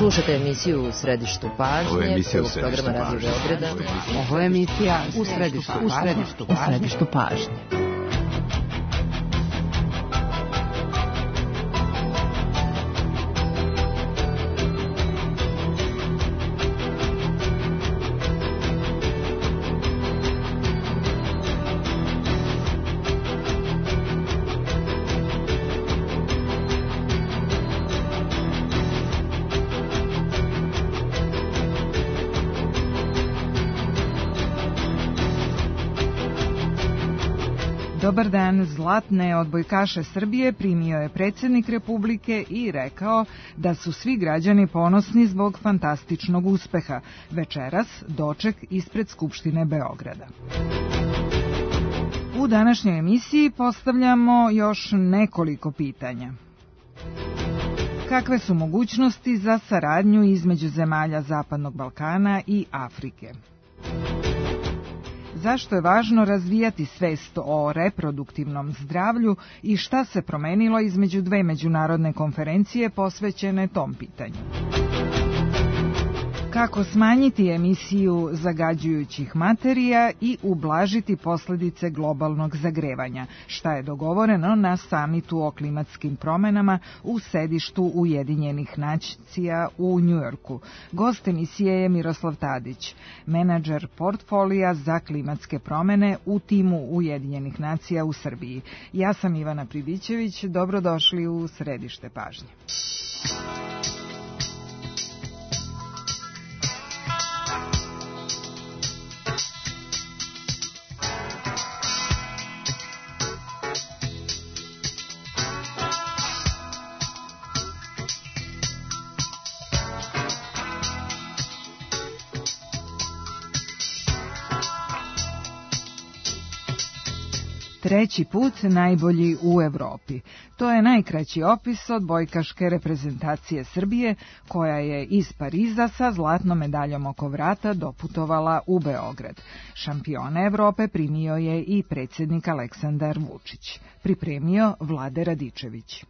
Slušajte emisiju U središtu pažnje. Ovo je emisija U programa Radio Beograda. Ovo je emisija U središtu pažnje. Dobar dan, zlatne odbojkaše Srbije primio je predsjednik Republike i rekao da su svi građani ponosni zbog fantastičnog uspeha. Večeras doček ispred Skupštine Beograda. U današnjoj emisiji postavljamo još nekoliko pitanja. Kakve su mogućnosti za saradnju između zemalja Zapadnog Balkana i Afrike? Zašto je važno razvijati svest o reproduktivnom zdravlju i šta se promenilo između dve međunarodne konferencije posvećene tom pitanju? Kako smanjiti emisiju zagađujućih materija i ublažiti posljedice globalnog zagrevanja, šta je dogovoreno na samitu o klimatskim promenama u sedištu Ujedinjenih nacija u Njujorku. Gost emisije je Miroslav Tadić, menadžer portfolija za klimatske promene u timu Ujedinjenih nacija u Srbiji. Ja sam Ivana Pribićević, dobrodošli u središte pažnje. Treći put najbolji u Evropi. To je najkraći opis odbojkaške reprezentacije Srbije, koja je iz Pariza sa zlatnom medaljom oko vrata doputovala u Beograd. Šampiona Evrope primio je i predsjednik Aleksandar Vučić. Pripremio Vlade Radičević.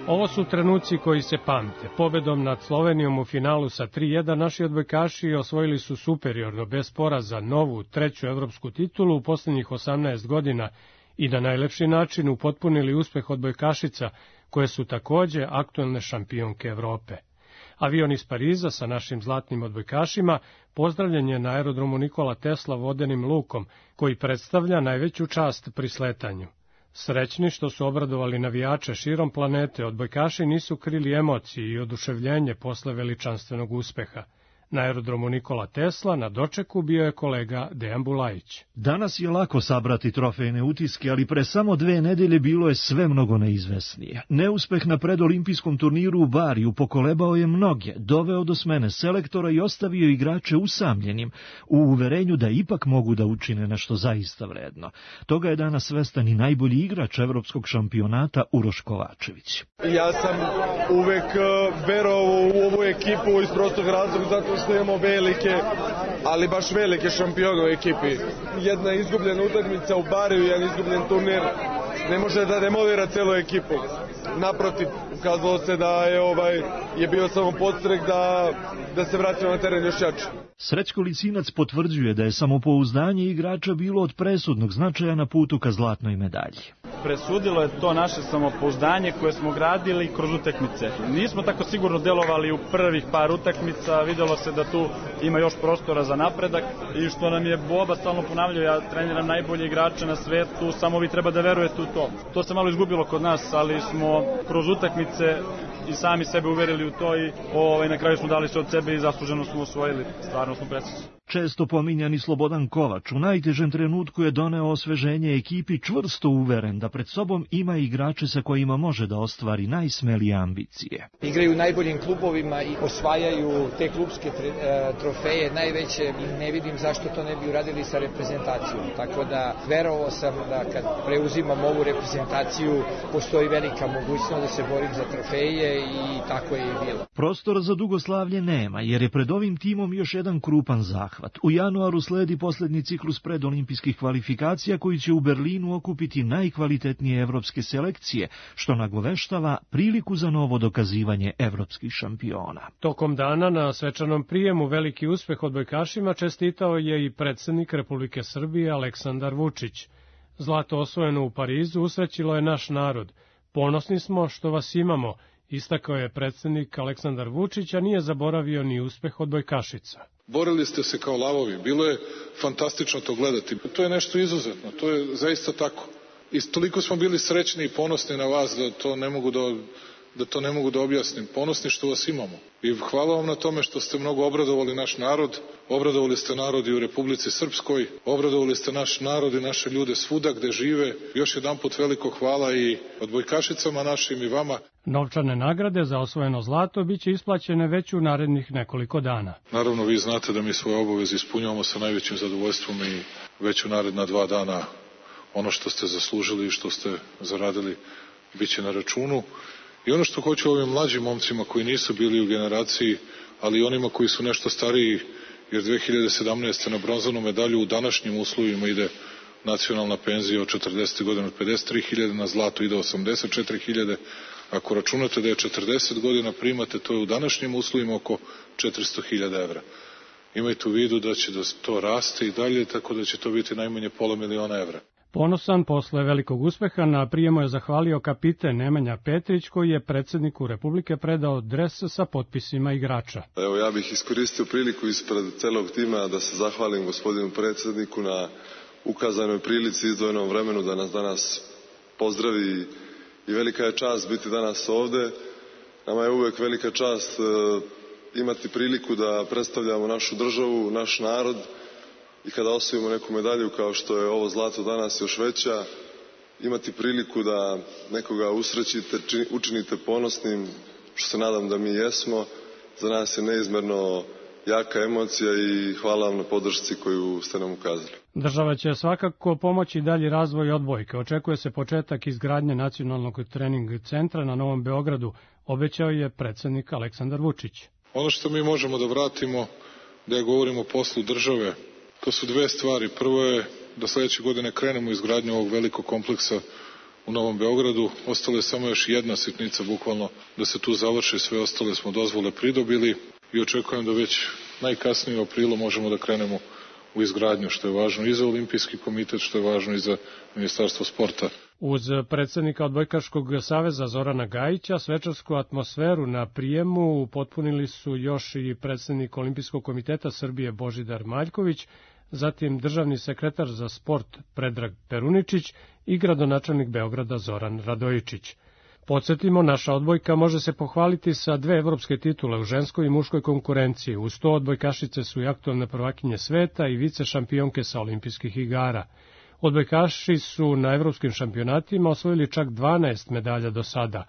Ovo su trenuci koji se pamte. Pobedom nad Slovenijom u finalu sa 3:1 naši odbojkaši osvojili su superiorno, bez poraza, novu, treću evropsku titulu u posljednjih 18 godina i na najlepši način upotpunili uspeh odbojkašica, koje su također aktuelne šampionke Evrope. Avion iz Pariza sa našim zlatnim odbojkašima pozdravljen je na aerodromu Nikola Tesla vodenim lukom, koji predstavlja najveću čast pri sletanju. Srećni što su obradovali navijače širom planete, odbojkaši nisu krili emocije i oduševljenje posle veličanstvenog uspeha. Na aerodromu Nikola Tesla na dočeku bio je kolega Dejan Bulajić. Danas je lako sabrati trofejne utiske, ali pre samo 2 nedelje bilo je sve mnogo neizvesnije. Neuspeh na predolimpijskom turniru u Bariju pokolebao je mnoge, doveo do smene selektora i ostavio igrače usamljenim, u uverenju da ipak mogu da učine nešto zaista vredno. Toga je danas svestan i najbolji igrač evropskog šampionata Uroš Kovačević. Ja sam uvek verovao u ovu ekipu iz prostog razloga zato što imamo velike, ali baš velike šampione u ekipi. Jedna izgubljena utakmica u Bariju, jedan izgubljen turnir ne može da demolira celu ekipu. Naprotiv, ukazalo se da je bio samo podstrek da se vratimo na teren još jače. Srećko Lisinac potvrđuje da je samopouzdanje igrača bilo od presudnog značaja na putu ka zlatnoj medalji. Presudilo je to naše samopouzdanje koje smo gradili kroz utakmice. Nismo tako sigurno delovali u prvih par utakmica, videlo se da tu ima još prostora za napredak i što nam je Boba stalno ponavljao, ja treniram najbolje igrače na svetu, samo vi treba da verujete u to. To se malo izgubilo kod nas, ali smo kroz utakmice i sami sebe uverili u to i na kraju smo dali sve od sebe i zasluženo smo osvojili. Stvarno smo presrećni. Često pominjani Slobodan Kovač u najtežem trenutku je doneo osveženje ekipi, čvrsto uveren da pred sobom ima igrače sa kojima može da ostvari najsmelije ambicije. Igraju u najboljim klubovima i osvajaju te klubske trofeje najveće i ne vidim zašto to ne bi uradili sa reprezentacijom. Tako da verovao sam da kad preuzimam ovu reprezentaciju postoji velika mogućnost da se borim za trofeje i tako je i bilo. Prostora za dugoslavlje nema jer je pred ovim timom još jedan krupan zahvat. zahvat. U januaru sledi posljednji ciklus predolimpijskih kvalifikacija koji će u Berlinu okupiti najkvalitetnije evropske selekcije, što nagoveštava priliku za novo dokazivanje evropskih šampiona. Tokom dana na svečanom prijemu veliki uspeh odbojkašima čestitao je i predsjednik Republike Srbije Aleksandar Vučić. Zlato osvojeno u Parizu usrećilo je naš narod. Ponosni smo što vas imamo, istakao je predsjednik Aleksandar Vučić, a nije zaboravio ni uspeh odbojkašica. Borili ste se kao lavovi, bilo je fantastično to gledati. To je nešto izuzetno, to je zaista tako. I toliko smo bili srećni i ponosni na vas da to ne mogu da objasnim. Ponosni što vas imamo. I hvala vam na tome što ste mnogo obradovali naš narod, obradovali ste narod i u Republici Srpskoj, obradovali ste naš narod i naše ljude svuda gde žive. Još jedanput veliko hvala i odbojkašicama našim i vama. Novčane nagrade za osvojeno zlato biće isplaćene već u narednih nekoliko dana. Naravno, vi znate da mi svoje obaveze ispunjavamo sa najvećim zadovoljstvom i već u naredna 2 dana ono što ste zaslužili i što ste zaradili biće na računu. I ono što hoću ovim mlađim momcima koji nisu bili u generaciji, ali i onima koji su nešto stariji, jer 2017. na bronzanu medalju u današnjim uslovima ide nacionalna penzija od 40 godina od 53.000, na zlato ide 84.000. Ako računate da je 40 godina primate, to je u današnjim uslovima oko 400.000 evra. Imajte u vidu da će to rasti i dalje, tako da će to biti najmanje $500.000 evra. Ponosan posle velikog uspeha na prijemu je zahvalio kapiten Nemanja Petrić, koji je predsjedniku Republike predao dres sa potpisima igrača. Evo, ja bih iskoristio priliku ispred celog tima da se zahvalim gospodinu predsjedniku na ukazanoj prilici i izdvojenom vremenu da nas danas pozdravi i velika je čast biti danas ovde. Nama je uvek velika čast imati priliku da predstavljamo našu državu, naš narod. I kada osvojimo neku medalju kao što je ovo zlato danas još veća, imati priliku da nekoga usrećite, učinite ponosnim, što se nadam da mi jesmo, za nas je neizmerno jaka emocija i hvala vam na podršci koju ste nam ukazali. Država će svakako pomoći dalji razvoj odbojke. Očekuje se početak izgradnje nacionalnog trening centra na Novom Beogradu, obećao je predsjednik Aleksandar Vučić. Ono što mi možemo da vratimo, da ja govorim o poslu države, to su 2 stvari. Prvo je da sledeće godine krenemo izgradnju ovog velikog kompleksa u Novom Beogradu. Ostalo je samo još jedna sitnica, bukvalno, da se tu završi. Sve ostale smo dozvole pridobili i očekujem da već najkasnije u aprilu možemo da krenemo u izgradnju, što je važno i za Olimpijski komitet, što je važno i za Ministarstvo sporta. Uz predsjednika Odbojkaškog saveza Zorana Gajića, svečarsku atmosferu na prijemu upotpunili su još i predsjednik Olimpijskog komiteta Srbije Božidar Maljković, zatim državni sekretar za sport Predrag Peruničić i gradonačelnik Beograda Zoran Radojičić. Podsjetimo, naša odbojka može se pohvaliti sa 2 evropske titule u ženskoj i muškoj konkurenciji. Uz to odbojkašice su i aktualne prvakinje sveta i vice šampionke sa olimpijskih igara. Odbojkaši su na evropskim šampionatima osvojili čak 12 medalja do sada.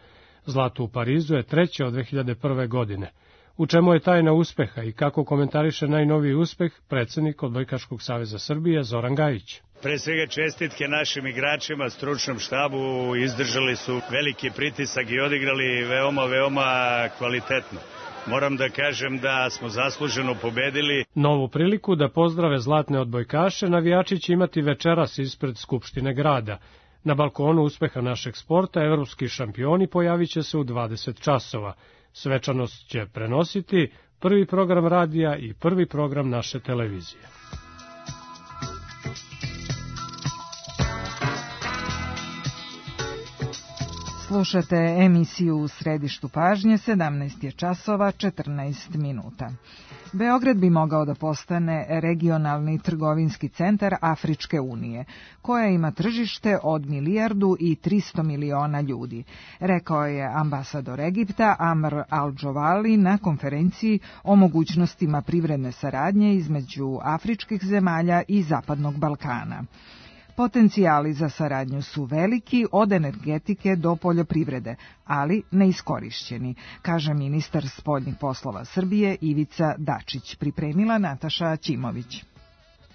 Zlato u Parizu je 3. od 2001. godine. U čemu je tajna uspeha i kako komentariše najnoviji uspeh predsjednik Odbojkaškog saveza Srbije Zoran Gajić? Pre svega čestitke našim igračima, stručnom štabu, izdržali su veliki pritisak i odigrali veoma kvalitetno. Moram da kažem da smo zasluženo pobedili. Novu priliku da pozdrave zlatne odbojkaše navijači će imati večeras ispred Skupštine grada. Na balkonu uspeha našeg sporta evropski šampioni pojavit će se u 20 časova. Svečanost će prenositi prvi program radija i prvi program naše televizije. Slušate emisiju U središtu pažnje, 17 je časova, 14 minuta. Beograd bi mogao da postane regionalni trgovinski centar Afričke unije, koja ima tržište od 1,3 milijarde ljudi, rekao je ambasador Egipta Amr Al-Džovali na konferenciji o mogućnostima privredne saradnje između afričkih zemalja i Zapadnog Balkana. Potencijali za saradnju su veliki od energetike do poljoprivrede, ali neiskorišćeni, kaže ministar spoljnih poslova Srbije Ivica Dačić, pripremila Nataša Ćimović.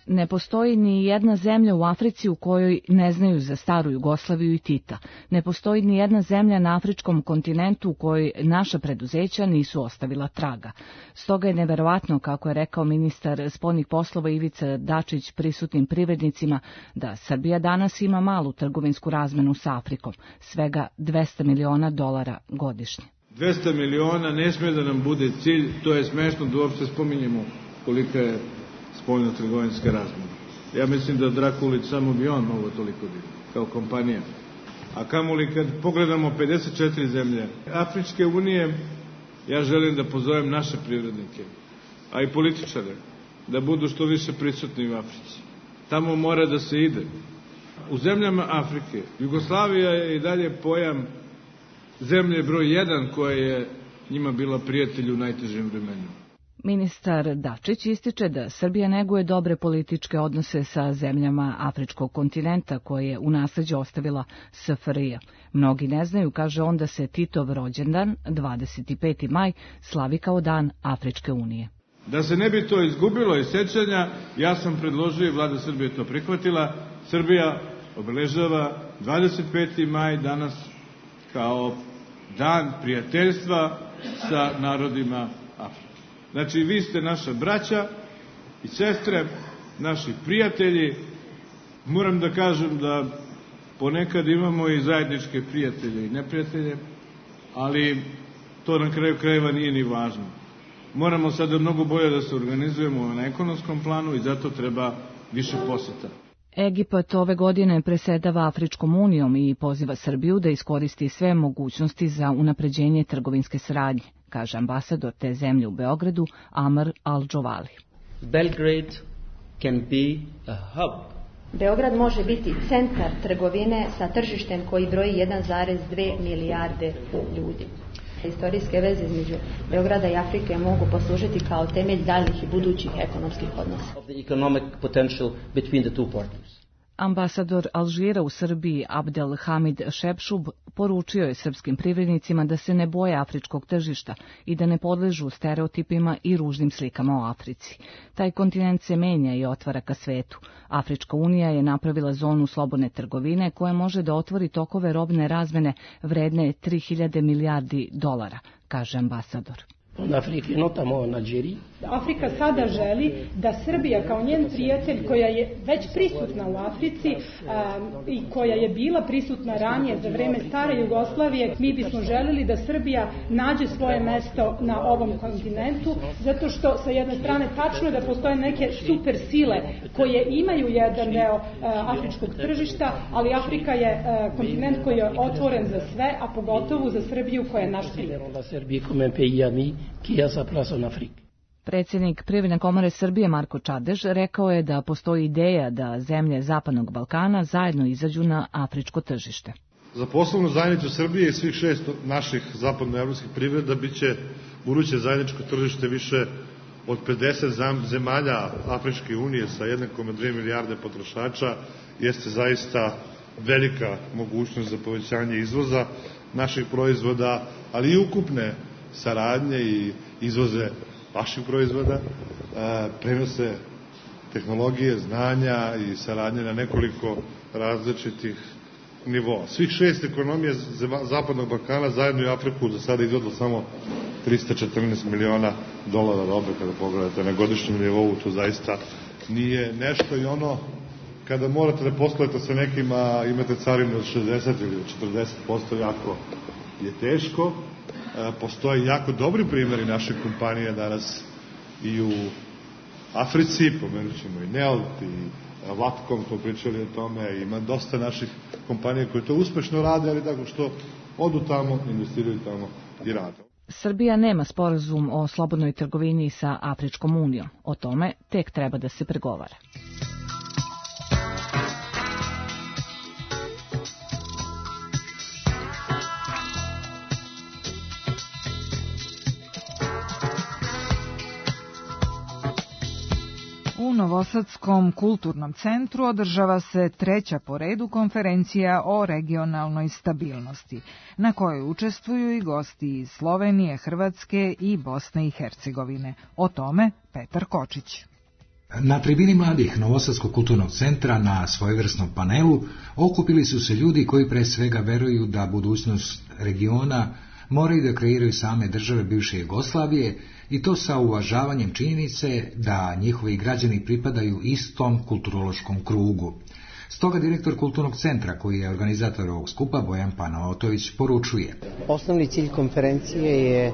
Ne postoji ni jedna zemlja u Africi u kojoj ne znaju za staru Jugoslaviju i Tita. Ne postoji ni jedna zemlja na afričkom kontinentu u kojoj naša preduzeća nisu ostavila traga. Stoga je neverovatno, kako je rekao ministar spoljnih poslova Ivica Dačić prisutnim privrednicima, da Srbija danas ima malu trgovinsku razmenu sa Afrikom, svega $200 miliona godišnje. 200 miliona ne sme da nam bude cilj, to je smešno da uopšte spominjemo kolika je spoljno-trgovinska razmena. Ja mislim da Drakulić samo bi on mogo toliko biti, kao kompanija. A kamoli kad pogledamo 54 zemlje Afričke unije, ja želim da pozovem naše privrednike, a i političare, da budu što više prisutni u Africi. Tamo mora da se ide. U zemljama Afrike, Jugoslavija je i dalje pojam zemlje broj 1 koja je njima bila prijatelj u najtežim vremenima. Ministar Dačić ističe da Srbija neguje dobre političke odnose sa zemljama afričkog kontinenta koje je u nasleđe ostavila SFRJ. Mnogi ne znaju, kaže on, da se Titov rođendan, 25. maj, slavi kao dan Afričke unije. Da se ne bi to izgubilo iz sećanja, ja sam predložio i vlada Srbije to prihvatila. Srbija obeležava 25. maj danas kao dan prijateljstva sa narodima Afrike. Znači, vi ste naša braća i sestre, naši prijatelji. Moram da kažem da ponekad imamo i zajedničke prijatelje i neprijatelje, ali to na kraju krajeva nije ni važno. Moramo sada mnogo bolje da se organizujemo na ekonomskom planu i zato treba više poseta. Egipat ove godine presedava Afričkom unijom i poziva Srbiju da iskoristi sve mogućnosti za unapređenje trgovinske saradnje, kaže ambasador te zemlje u Beogradu, Amr Al-Džovali. Belgrade can be a hub. Beograd može biti centar trgovine sa tržištem koji broji 1,2 milijarde ljudi. Istorijske veze između Beograda i Afrike mogu poslužiti kao temelj daljih i budućih ekonomskih odnosa. Ambasador Alžira u Srbiji Abdel Hamid Šepšub poručio je srpskim privrednicima da se ne boje afričkog tržišta i da ne podležu stereotipima i ružnim slikama o Africi. Taj kontinent se menja i otvara ka svetu. Afrička unija je napravila zonu slobodne trgovine koja može da otvori tokove robne razmene vredne $3.000 milijardi, kaže ambasador. Afrika sada želi da Srbija kao njen prijatelj, koja je već prisutna u Africi i koja je bila prisutna ranije za vreme stare Jugoslavije, mi bismo želeli da Srbija nađe svoje mesto na ovom kontinentu, zato što sa jedne strane tačno je da postoje neke super sile koje imaju jedan deo afričkog tržišta, ali Afrika je kontinent koji je otvoren za sve, a pogotovo za Srbiju koja je naš prijatelj. Predsjednik Privredne komore Srbije Marko Čadež rekao je da postoji ideja da zemlje Zapadnog Balkana zajedno izađu na afričko tržište. Za poslovnu zajednicu Srbije i svih 6 naših zapadnoevropskih privreda biće buduće zajedničko tržište više od 50 zemalja Afričke unije sa 1,2 milijarde potrošača. Jeste zaista velika mogućnost za povećanje izvoza naših proizvoda, ali i ukupne saradnje i izvoze vaših proizvoda, prenose tehnologije, znanja i saradnje na nekoliko različitih nivoa. Svih 6 ekonomija Zapadnog Balkana zajedno i Afriku do sada izvodilo samo $314 miliona robe, kada pogledate na godišnjem nivou, to zaista nije nešto i ono kada morate da poslujete sa nekima, imate carinu od 60 ili 40%, jako je teško. Postoje jako dobri primjeri naših kompanija danas i u Africi, pomenut ćemo i Nelt i Vatkom, smo pričali o tome, ima dosta naših kompanija koje to uspešno rade, ali tako što odu tamo, investiraju tamo i rade. Srbija nema sporazum o slobodnoj trgovini sa Afričkom unijom. O tome tek treba da se pregovara. U Novosadskom kulturnom centru održava se 3. po redu konferencija o regionalnoj stabilnosti, na kojoj učestvuju i gosti iz Slovenije, Hrvatske i Bosne i Hercegovine. O tome Petar Kočić. Na tribini mladih Novosadskog kulturnog centra na svojevrsnom panelu okupili su se ljudi koji pre svega veruju da budućnost regiona moraju da kreiraju same države bivše Jugoslavije i to sa uvažavanjem činjenice da njihovi građani pripadaju istom kulturološkom krugu. Stoga direktor Kulturnog centra, koji je organizator ovog skupa, Bojan Panaotović, poručuje: Osnovni cilj konferencije je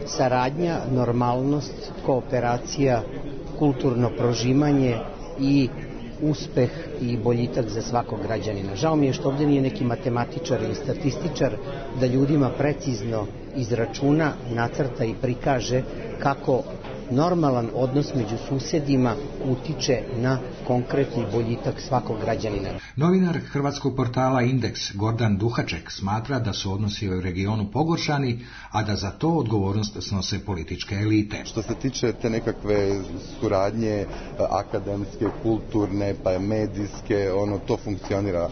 saradnja, normalnost, kooperacija, kulturno prožimanje i uspeh i boljitak za svakog građanina. Žao mi je što ovdje nije neki matematičar ili statističar da ljudima precizno izračuna, nacrta i prikaže kako normalan odnos među susjedima utiče na konkretni boljitak svakog građanina. Novinar hrvatskog portala Indeks Gordan Duhaček smatra da su odnosi u regionu pogoršani, a da za to odgovornost snose političke elite. Što se tiče te nekakve suradnje akademske, kulturne, pa medijske, to funkcionira,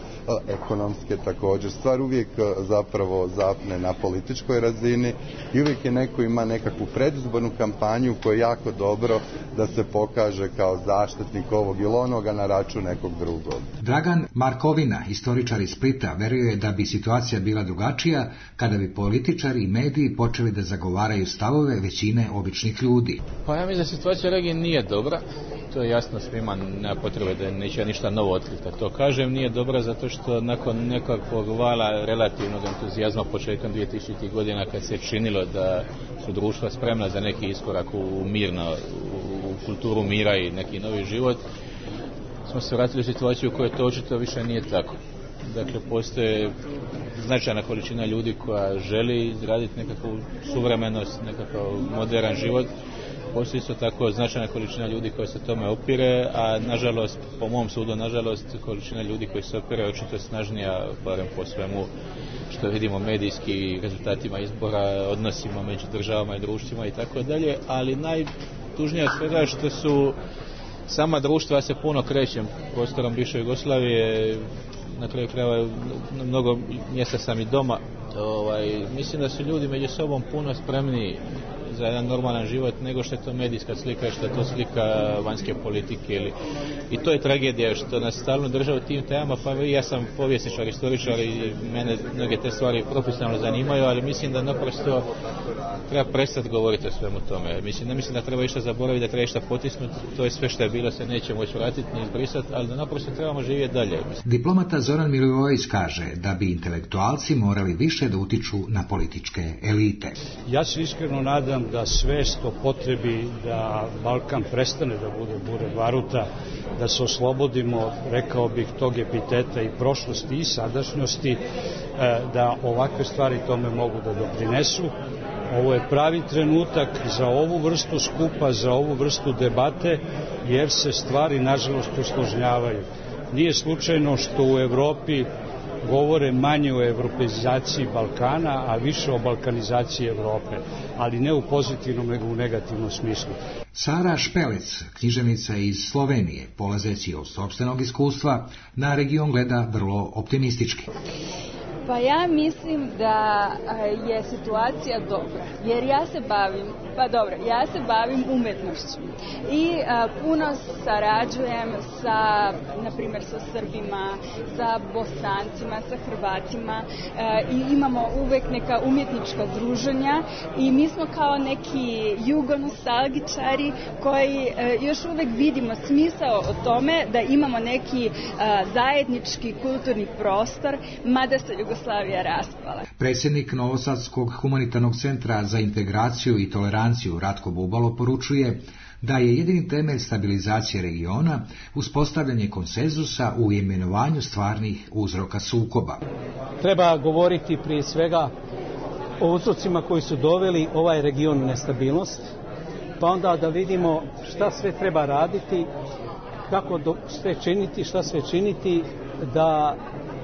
ekonomske također. Stvar uvijek zapravo zapne na političkoj razini i uvijek je neko ima nekakvu predizbornu kampanju koja je jako dobro da se pokaže kao zaštitnik ovog ili onoga na račun nekog drugog. Dragan Markovina, historičar iz Splita, veruje da bi situacija bila drugačija kada bi političari i mediji počeli da zagovaraju stavove većine običnih ljudi. Pa ja mislim da situacija u regiji nije dobra. To je jasno svima, nema potrebe da neće ništa novo otkriti. To kažem, nije dobra zato što nakon nekakvog vala relativnog entuzijazma početkom 2000. godina kad se činilo da su društva spremna za neki iskorak u mirno, u kulturu mira i neki novi život, smo se vratili u situaciju u kojoj to očito više nije tako. Dakle, postoje značajna količina ljudi koja želi izraditi nekakvu suvremenost, nekakav modern život. Postoji isto tako značajna količina ljudi koji se tome opire, a nažalost, po mom sudu, nažalost, količina ljudi koji se opire očito snažnija, barem po svemu što vidimo medijski, rezultatima izbora, odnosima među državama i društvima i tako dalje, ali najtužnije od svega je što su sama društva se puno krećem prostorom bivše Jugoslavije, na kraju krajeva na mnogo mjesta sam i doma. Mislim da su ljudi među sobom puno spremniji za jedan normalan život nego što je to medijska slika, što je to slika vanjske politike. I to je tragedija što nas stalno drže u tim temama, pa ja sam povjesničar, istoričar i mene mnoge te stvari profesionalno zanimaju, ali mislim da naprosto treba prestati govoriti o svemu tome. Ne mislim da treba išta zaboraviti, da treba išta potisnuti, to je sve što je bilo, se neće moći vratiti ni izbrisati, ali da naprosto trebamo živjeti dalje. Diplomata Zoran Milivojević kaže da bi intelektualci morali više da utiču na političke elite. Ja se iskreno nadam da svest o potrebi da Balkan prestane da bude bure baruta, da se oslobodimo, rekao bih, tog epiteta i prošlosti i sadašnjosti, da ovakve stvari tome mogu da doprinesu. Ovo je pravi trenutak za ovu vrstu skupa, za ovu vrstu debate, jer se stvari nažalost usložnjavaju. Nije slučajno što u Evropi govore manje o evropeizaciji Balkana, a više o balkanizaciji Evrope, ali ne u pozitivnom nego u negativnom smislu. Sara Špelec, književnica iz Slovenije, polazeći od sopstvenog iskustva, na region gleda vrlo optimistički. Pa ja mislim da je situacija dobra, jer ja se bavim umetnošću i puno sarađujem na primjer sa Srbima, sa Bosancima, sa Hrvatima i imamo uvek neka umjetnička druženja i mi smo kao neki jugonostalgičari koji još uvek vidimo smisao o tome da imamo neki zajednički kulturni prostor, mada se Jugoslavija raspala. Predsjednik Novosadskog humanitarnog centra za integraciju i toleranciju Ratko Bubalo poručuje da je jedini temelj stabilizacije regiona uspostavljanje konsenzusa u imenovanju stvarnih uzroka sukoba. Treba govoriti prije svega o uzrocima koji su doveli ovaj region u nestabilnost, pa onda da vidimo šta sve treba raditi, kako šta sve činiti da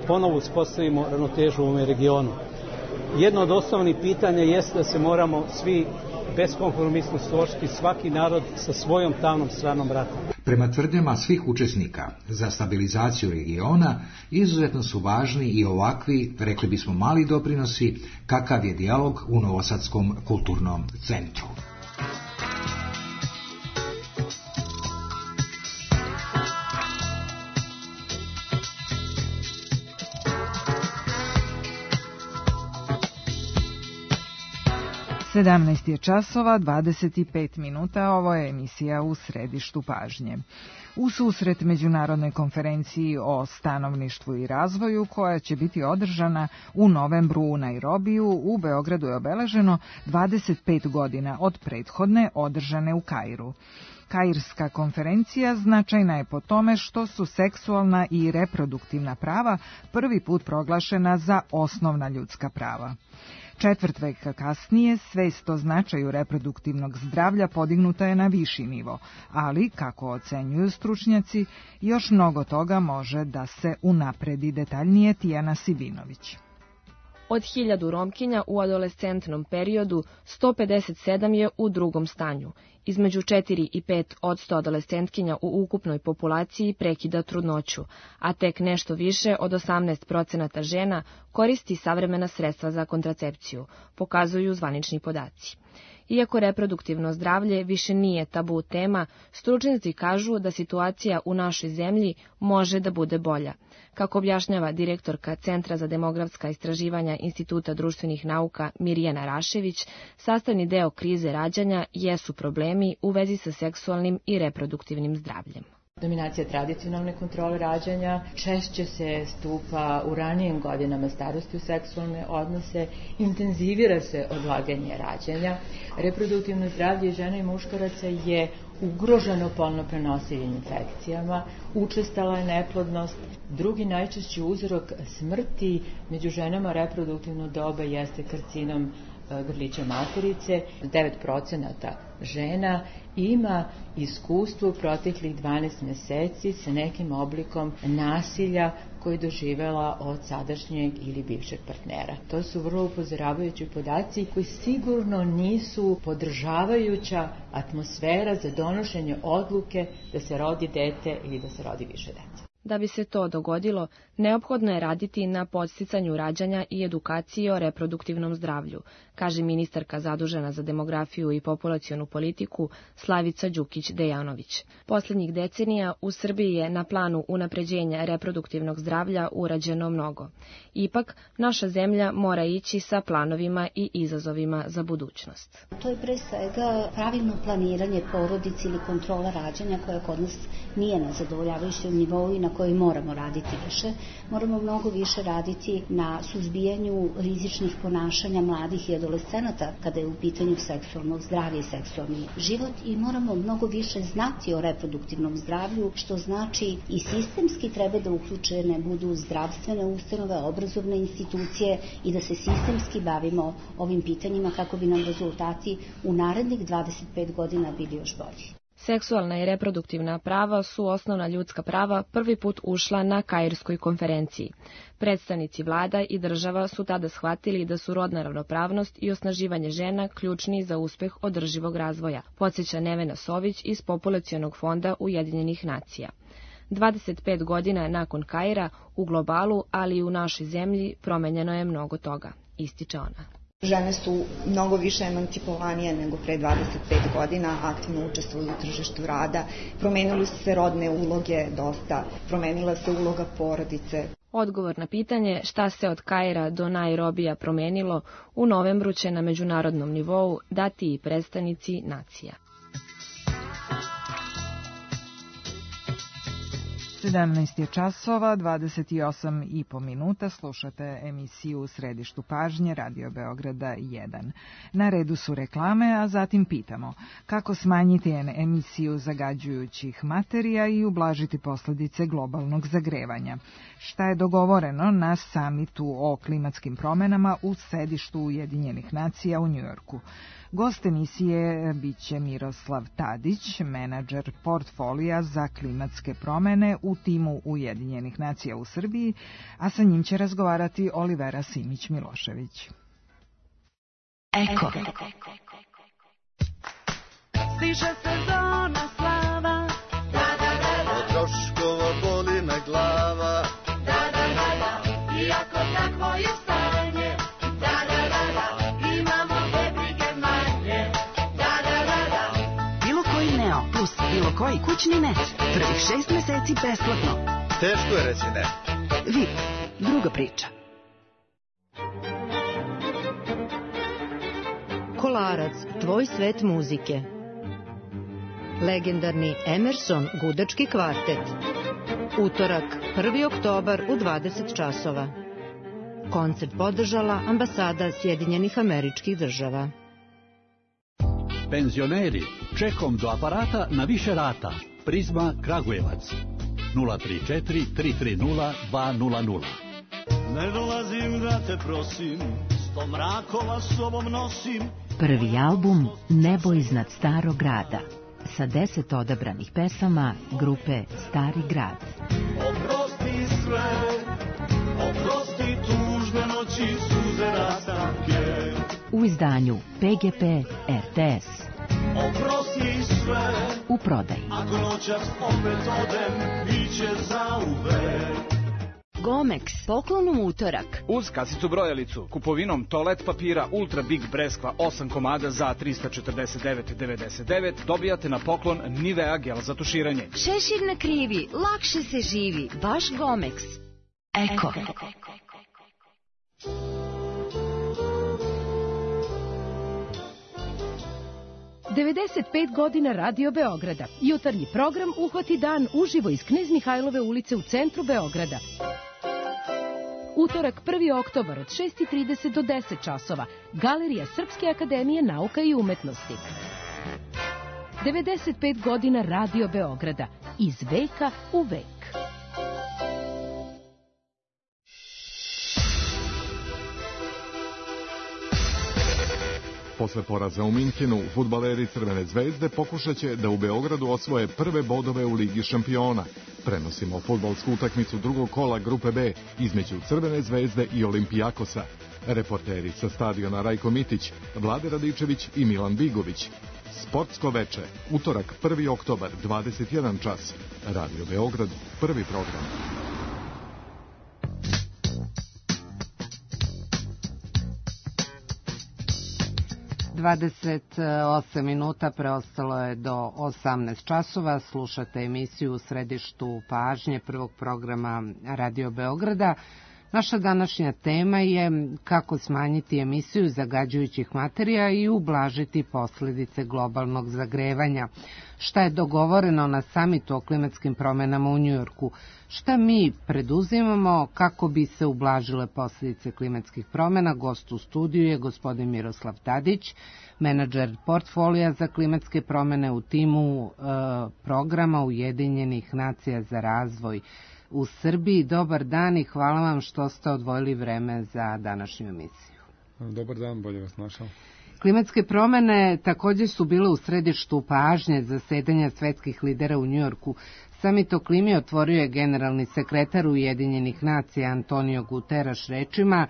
ponovo uspostavimo ravnotežu u ovom regionu. Jedno od osnovnih pitanja jeste da se moramo svi beskompromisno složiti, svaki narod sa svojom tamnom stranom rata. Prema tvrdnjama svih učesnika za stabilizaciju regiona izuzetno su važni i ovakvi, rekli bismo, mali doprinosi kakav je dijalog u Novosadskom kulturnom centru. 17 je časova, 25 minuta, ovo je emisija U središtu pažnje. U susret Međunarodnoj konferenciji o stanovništvu i razvoju, koja će biti održana u novembru u Nairobiju, u Beogradu je obeleženo 25 godina od prethodne održane u Kairu. Kairska konferencija značajna je po tome što su seksualna i reproduktivna prava prvi put proglašena za osnovna ljudska prava. Četvrt veka kasnije svest o značaju reproduktivnog zdravlja podignuta je na viši nivo, ali, kako ocenjuju stručnjaci, još mnogo toga može da se unapredi. Detaljnije Tijana Sibinović. Od 1000 Romkinja u adolescentnom periodu 157 je u drugom stanju. Između 4 i 5% adolescentkinja u ukupnoj populaciji prekida trudnoću, a tek nešto više od 18% žena koristi savremena sredstva za kontracepciju, pokazuju zvanični podaci. Iako reproduktivno zdravlje više nije tabu tema, stručnjaci kažu da situacija u našoj zemlji može da bude bolja. Kako objašnjava direktorka Centra za demografska istraživanja Instituta društvenih nauka Mirjana Rašević, sastavni deo krize rađanja jesu problemi u vezi sa seksualnim i reproduktivnim zdravljem. Dominacija tradicionalne kontrole rađanja, češće se stupa u ranijim godinama starosti u seksualne odnose, intenzivira se odlaganje rađanja. Reproduktivno zdravlje žena i muškaraca je ugroženo polno prenosivim infekcijama, učestala je neplodnost. Drugi najčešći uzrok smrti među ženama reproduktivno doba jeste karcinom grlića materice. 9% žena ima iskustvo u proteklih 12 meseci sa nekim oblikom nasilja koji je doživela od sadašnjeg ili bivšeg partnera. To su vrlo upozoravajući podaci koji sigurno nisu podržavajuća atmosfera za donošenje odluke da se rodi dete ili da se rodi više dece. Da bi se to dogodilo, neophodno je raditi na podsticanju rađanja i edukaciji o reproduktivnom zdravlju, kaže ministarka zadužena za demografiju i populacionu politiku Slavica Đukić-Dejanović. Poslednjih decenija u Srbiji je na planu unapređenja reproduktivnog zdravlja urađeno mnogo. Ipak, naša zemlja mora ići sa planovima i izazovima za budućnost. To je pre svega pravilno planiranje porodice ili kontrola rađanja koja kod nas nije na zadovoljavajućem nivou i na kojoj moramo raditi više. Moramo mnogo više raditi na suzbijanju rizičnih ponašanja mladih i adolescenata kada je u pitanju seksualno zdravlje i seksualni život i moramo mnogo više znati o reproduktivnom zdravlju, što znači i sistemski treba da uključene budu zdravstvene ustanove, obrazovne institucije i da se sistemski bavimo ovim pitanjima kako bi nam rezultati u narednih 25 godina bili još bolji. Seksualna i reproduktivna prava su osnovna ljudska prava prvi put ušla na Kairskoj konferenciji. Predstavnici vlada i država su tada shvatili da su rodna ravnopravnost i osnaživanje žena ključni za uspeh održivog razvoja, podsjeća Nevena Sović iz Populacionog fonda Ujedinjenih nacija. 25 godina nakon Kaira u globalu, ali i u našoj zemlji promenjeno je mnogo toga, ističe ona. Žene su mnogo više emancipovanije nego pre 25 godina, aktivno učestvuju u tržištu rada, promenili su se rodne uloge dosta, promenila se uloga porodice. Odgovor na pitanje šta se od Kaira do Nairobija promenilo u novembru će na međunarodnom nivou dati i predstavnici nacija. 17 je časova, 28,5 minuta, slušate emisiju U središtu pažnje Radio Beograda 1. Na redu su reklame, a zatim pitamo kako smanjiti emisiju zagađujućih materija i ublažiti posljedice globalnog zagrevanja. Šta je dogovoreno na samitu o klimatskim promenama u sedištu Ujedinjenih nacija u Njujorku? Gost emisije biće Miroslav Tadić, menadžer portfolija za klimatske promene u timu Ujedinjenih nacija u Srbiji, a sa njim će razgovarati Olivera Simić-Milošević. Eko. Stiže sezona slava, od troškova boli me glava, iako takvo je stanje, imamo te brige manje, Bilo koji Neo plus bilo koji kućni net, prvih 6 meseci besplatno. Teško je reći ne. VIP, druga priča. Kolarac, tvoj svet muzike. Legendarni Emerson gudački kvartet. Utorak, 1. oktobar u 20 časova. Koncert podržala Ambasada Sjedinjenih Američkih Država. Penzioneri, čekom do aparata na više rata. Prizma Kragujevac. 034 330 200. Ne dolazim da te prosim, 100 mrakova sobom nosim. Prvi album Nebo iznad starog grada sa 10 odabranih pesama grupe Stari grad. Oprosti sve, oprosti tužne noći, suze rastanke. U izdanju PGP RTS. Oprosti sve, u prodaji. Ako noćas opet odem, biće zauvek. Gomex, poklon u utorak. Uz kasicu brojalicu, kupovinom toalet papira Ultra Big Breskva 8 komada za 349,99 dobijate na poklon Nivea gel za tuširanje. Šešir na krivi, lakše se živi, baš Gomex. Eko. 95 godina Radio Beograda. Jutarnji program Uhvati dan uživo iz Knez Mihajlove ulice u centru Beograda. Utorak 1. oktobar od 6:30 do 10 časova. Galerija Srpske akademije nauka i umetnosti. 95 godina Radio Beograda. Iz veka u vek. Posle poraza u Minhenu, fudbaleri Crvene zvezde pokušaće da u Beogradu osvoje prve bodove u Ligi šampiona. Prenosimo fudbalsku utakmicu drugog kola grupe B između Crvene zvezde i Olimpijakosa. Reporteri sa stadiona Rajko Mitić, Vlade Radičević i Milan Bigović. Sportsko veče, utorak 1. oktobar, 21 čas. Radio Beograd, prvi program. 28 minuta preostalo je do 18 časova. Slušate emisiju u središtu pažnje prvog programa Radio Beograda. Naša današnja tema je kako smanjiti emisiju zagađujućih materija i ublažiti posljedice globalnog zagrevanja. Šta je dogovoreno na samitu o klimatskim promjenama u Njujorku? Šta mi preduzimamo kako bi se ublažile posljedice klimatskih promjena? Gost u studiju je gospodin Miroslav Tadić, menadžer portfolija za klimatske promjene u timu programa Ujedinjenih nacija za razvoj u Srbiji. Dobar dan i hvala vam što ste odvojili vreme za današnju emisiju. Dobar dan, bolje vas našao. Klimatske promjene također su bile u središtu pažnje zasedanja svetskih lidera u Njujorku. Samit o klimi otvorio je generalni sekretar Ujedinjenih nacija Antonio Guterres rečima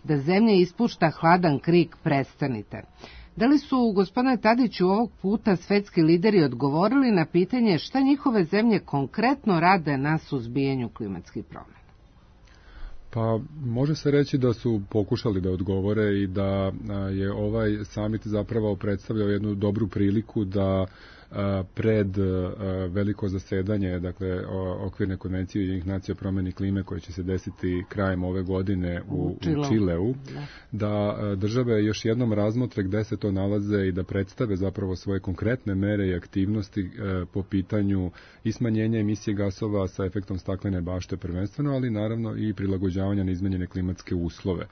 da zemlja ispušta hladan krik, prestanite. Da li su, gospodine Tadiću, ovog puta svetski lideri odgovorili na pitanje šta njihove zemlje konkretno rade na suzbijanju klimatskih promjena? Pa može se reći da su pokušali da odgovore i da je ovaj samit zapravo predstavljao jednu dobru priliku da pred veliko zasedanje, dakle okvirne konvencije Ujedinjenih nacija o promjeni klime koje će se desiti krajem ove godine u Čileu, da države još jednom razmotre gde se to nalaze i da predstave zapravo svoje konkretne mere i aktivnosti po pitanju i smanjenja emisije gasova sa efektom staklene bašte prvenstveno, ali naravno i prilagođavanja na izmenjene klimatske uslove.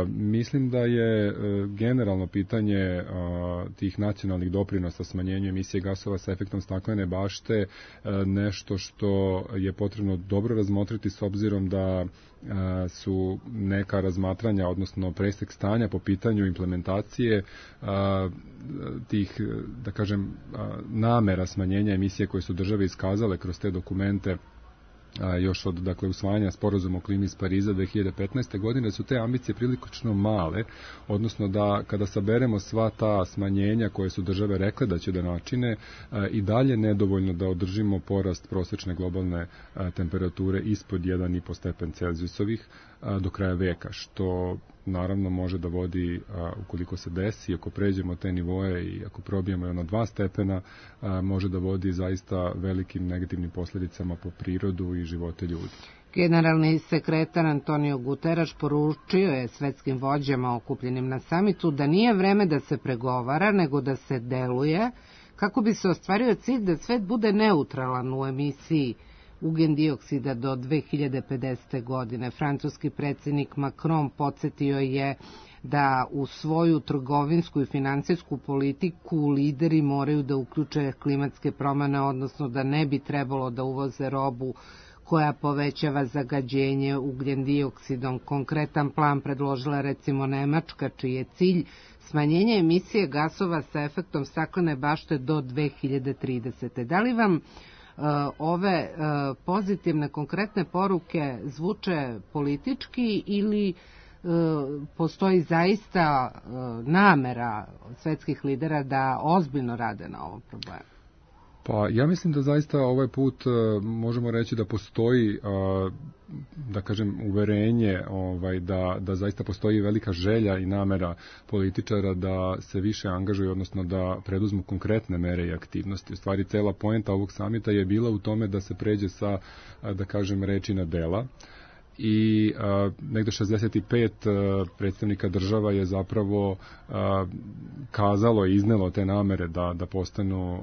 Mislim da je generalno pitanje tih nacionalnih doprinosa smanjenju emisije gasova sa efektom staklene bašte nešto što je potrebno dobro razmotriti s obzirom da su neka razmatranja, odnosno presek stanja po pitanju implementacije tih, da kažem, namera smanjenja emisije koje su države iskazale kroz te dokumente još od usvajanja sporazuma o klimi iz Pariza 2015. godine, su te ambicije prilično male, odnosno da kada saberemo sva ta smanjenja koje su države rekle da će da načine, i dalje nedovoljno da održimo porast prosečne globalne temperature ispod 1,5 stepen Celzijusovih do kraja veka, što naravno može da vodi, ukoliko se desi, ako pređemo te nivoe i ako probijemo ono 2 stepena, može da vodi zaista velikim negativnim posljedicama po prirodu i živote ljudi. Generalni sekretar Antonio Guterres poručio je svetskim vođama okupljenim na samitu da nije vreme da se pregovara, nego da se deluje, kako bi se ostvario cilj da svet bude neutralan u emisiji ugljen-dioksida do 2050. godine. Francuski predsjednik Macron podsjetio je da u svoju trgovinsku i finansijsku politiku lideri moraju da uključe klimatske promjene, odnosno da ne bi trebalo da uvoze robu koja povećava zagađenje ugljen-dioksidom. Konkretan plan predložila recimo Nemačka, čiji je cilj smanjenje emisije gasova sa efektom staklene bašte do 2030. Da li vam ove pozitivne, konkretne poruke zvuče politički ili postoji zaista namera svetskih lidera da ozbiljno rade na ovom problemu? Pa ja mislim da zaista ovaj put možemo reći da postoji, da kažem, uverenje da zaista postoji velika želja i namera političara da se više angažuju, odnosno da preduzmu konkretne mere i aktivnosti. U stvari, cela poenta ovog samita je bila u tome da se pređe sa, da kažem, reči na dela. I negde 65 predstavnika država je zapravo kazalo i iznelo te namere da postanu,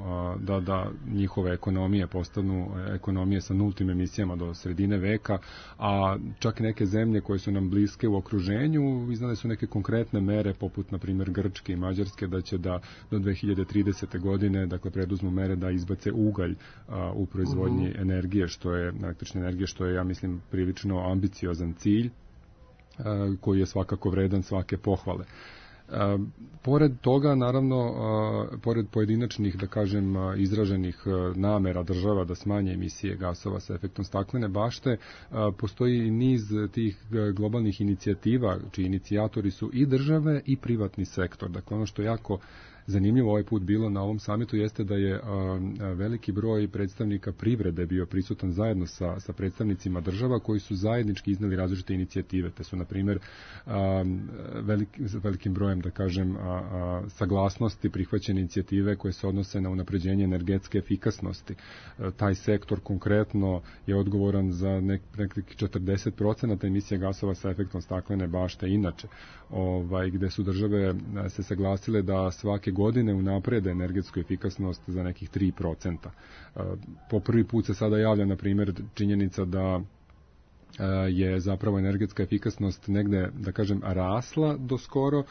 da njihove ekonomije postanu ekonomije sa nultim emisijama do sredine veka, a čak neke zemlje koje su nam bliske u okruženju iznale su neke konkretne mere, poput na primjer Grčke i Mađarske, da će da do 2030. godine dakle preduzmu mere da izbace ugalj u proizvodnji energije, električne energije, što je, ja mislim, prilično ambiciozan cilj koji je svakako vredan svake pohvale. Pored toga, naravno, pored pojedinačnih, da kažem, izraženih namera država da smanje emisije gasova sa efektom staklene bašte, postoji i niz tih globalnih inicijativa, čiji inicijatori su i države i privatni sektor. Dakle, ono što je jako zanimljivo ovaj put bilo na ovom samitu jeste da je veliki broj predstavnika privrede bio prisutan zajedno sa predstavnicima država koji su zajednički izneli različite inicijative. Te su, na primjer, velikim brojem, da kažem, saglasnosti prihvaćene inicijative koje se odnose na unapređenje energetske efikasnosti. Taj sektor konkretno je odgovoran za nekih 40% emisije gasova sa efektom staklene bašte inače, gde su države se saglasile da svake godine unaprede energetsku efikasnost za nekih 3%. Po prvi put se sada javlja, na primjer, činjenica da je zapravo energetska efikasnost negde, da kažem, rasla do skoro,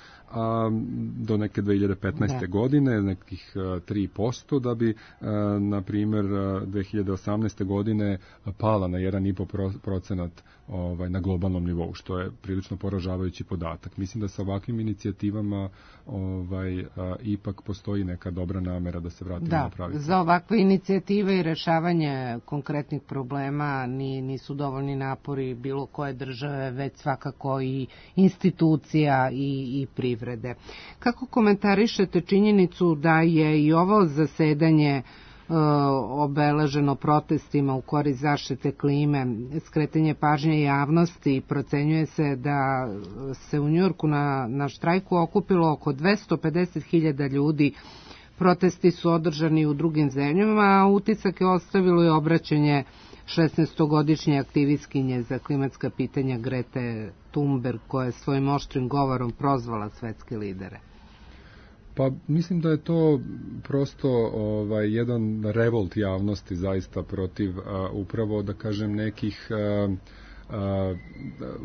do neke 2015. godine, nekih 3%, da bi, na primjer, 2018. godine pala na 1,5% na globalnom nivou, što je prilično poražavajući podatak. Mislim da sa ovakvim inicijativama ipak postoji neka dobra namera da se vratimo na pravi. Da, za ovakve inicijative i rešavanje konkretnih problema nisu dovoljni napori bilo koje države, već svakako i institucija i privrede. Kako komentarišete činjenicu da je i ovo zasedanje obeleženo protestima u korist zaštite klime, skretanje pažnje javnosti i procenjuje se da se u Njujorku na štrajku okupilo oko 250.000 ljudi. Protesti su održani u drugim zemljama, a utisak je ostavilo i obraćanje 16-godišnje aktivistkinje za klimatska pitanja Grete Thunberg, koja je svojim oštrim govorom prozvala svetske lidere. Pa mislim da je to prosto jedan revolt javnosti zaista protiv upravo, da kažem, nekih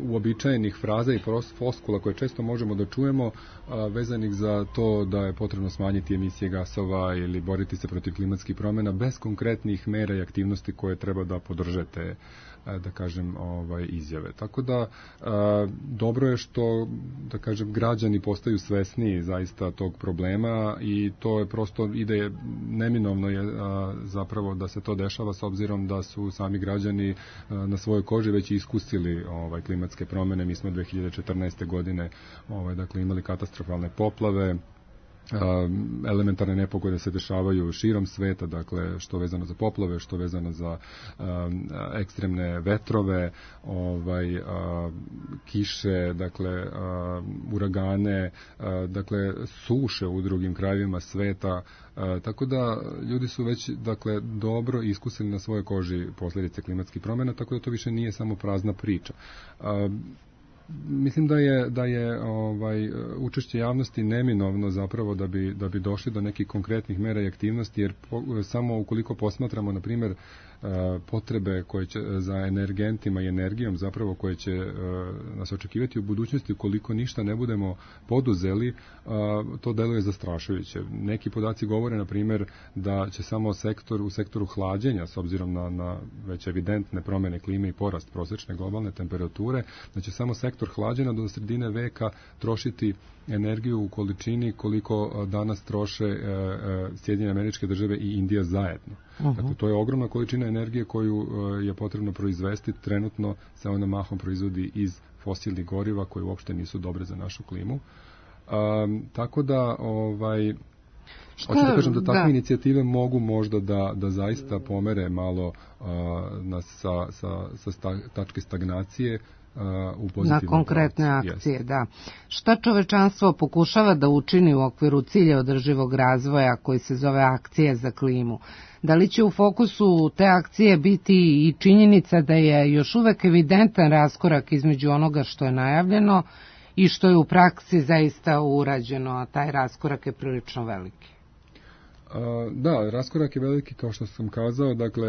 uobičajenih fraza i floskula koje često možemo da čujemo vezanih za to da je potrebno smanjiti emisije gasova ili boriti se protiv klimatskih promjena bez konkretnih mera i aktivnosti koje treba da podržete, da kažem, izjave. Tako da dobro je što, da kažem, građani postaju svesniji zaista tog problema i to je prosto ide neminovno je zapravo da se to dešava s obzirom da su sami građani na svojoj koži već iskusili klimatske promjene. Mi smo 2014. godine dakle imali katastrofalne poplave, elementarne nepogode se dešavaju širom sveta, dakle što vezano za poplave, što vezano za ekstremne vetrove, kiše, dakle uragane, dakle suše u drugim krajevima sveta, tako da ljudi su već dakle dobro iskusili na svojoj koži posljedice klimatskih promjena, tako da to više nije samo prazna priča. Mislim da je učešće javnosti neminovno zapravo da bi došli do nekih konkretnih mera i aktivnosti, jer samo ukoliko posmatramo na primjer potrebe koje će za energentima i energijom zapravo koje će nas očekivati u budućnosti, ukoliko ništa ne budemo poduzeli, to deluje zastrašujuće. Neki podaci govore na primjer da će samo u sektoru hlađenja, s obzirom na već evidentne promjene klime i porast prosječne globalne temperature, da će samo sektor hlađenja do sredine veka trošiti energiju u količini koliko danas troše Sjedinjene Američke Države i Indija zajedno. Dakle, to je ogromna količina energije koju je potrebno proizvesti. Trenutno se ona mahom proizvodi iz fosilnih goriva koje uopšte nisu dobre za našu klimu. Tako da hoću da kažem da takve inicijative mogu možda da zaista pomere malo sa tačke stagnacije na konkretne akcije, da. Šta čovečanstvo pokušava da učini u okviru cilja održivog razvoja koji se zove akcije za klimu? Da li će u fokusu te akcije biti i činjenica da je još uvek evidentan raskorak između onoga što je najavljeno i što je u praksi zaista urađeno, a taj raskorak je prilično veliki? Da, raskorak je veliki, kao što sam kazao, dakle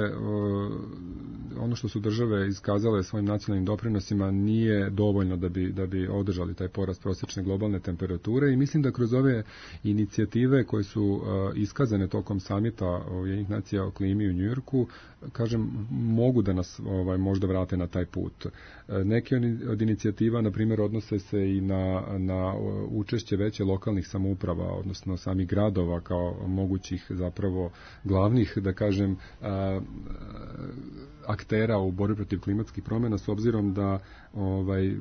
ono što su države iskazale svojim nacionalnim doprinosima nije dovoljno da bi održali taj porast prosječne globalne temperature i mislim da kroz ove inicijative koje su iskazane tokom samita Ujedinjenih nacija o klimi u Njujorku, kažem, mogu da nas možda vrate na taj put. Neke od inicijativa, na primjer, odnose se i na učešće veće lokalnih samouprava, odnosno samih gradova kao mogućih zapravo glavnih, da kažem, aktera u borbi protiv klimatskih promjena, s obzirom da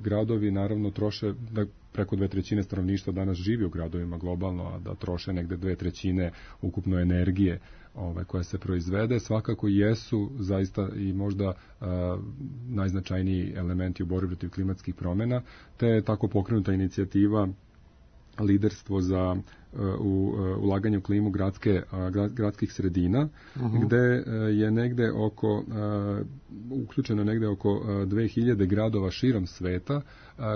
gradovi naravno troše, da preko 2/3 stanovništva danas živi u gradovima globalno, a da troše negde 2/3 ukupno energije koja se proizvede, svakako jesu zaista i možda najznačajniji elementi u borbi protiv klimatskih promjena, te je tako pokrenuta inicijativa liderstvo za ulaganje u klimu gradskih sredina, gde je negde uključeno negde oko 2000 gradova širom sveta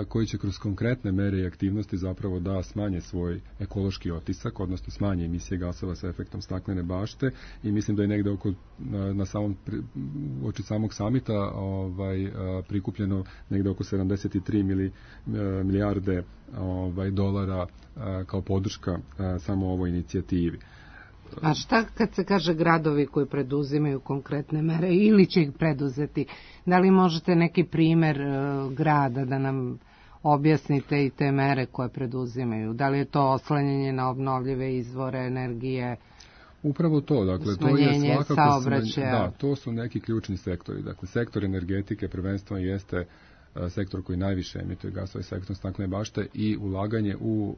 koji će kroz konkretne mere i aktivnosti zapravo da smanje svoj ekološki otisak, odnosno smanje emisije gasova sa efektom staklene bašte, i mislim da je negde oči samog samita prikupljeno negde oko 73 milijarde dolara kao podrška samo ovoj inicijativi. A šta kad se kaže gradovi koji preduzimaju konkretne mere ili će ih preduzeti? Da li možete neki primer grada da nam objasnite i te mere koje preduzimaju? Da li je to oslanjanje na obnovljive izvore energije? Upravo to, dakle, to je svakako saobraćaja. Da, to su neki ključni sektori. Dakle, sektor energetike prvenstveno jeste sektor koji najviše emituje gasove sa efektom staklene bašte i ulaganje u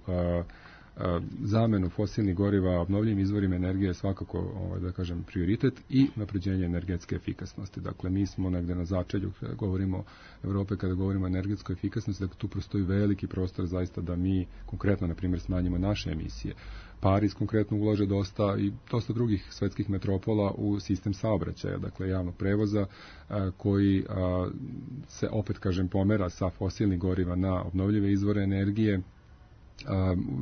zamenu fosilnih goriva obnovljivim izvorima energije je svakako, da kažem, prioritet i napređenje energetske efikasnosti. Dakle, mi smo negde na začelju, govorimo Evrope, kada govorimo o energetskoj efikasnosti, dakle, tu postoji veliki prostor zaista da mi konkretno, na primjer, smanjimo naše emisije. Pariz konkretno ulaže dosta i dosta drugih svetskih metropola u sistem saobraćaja, dakle javnog prevoza koji se, opet kažem, pomera sa fosilnih goriva na obnovljive izvore energije.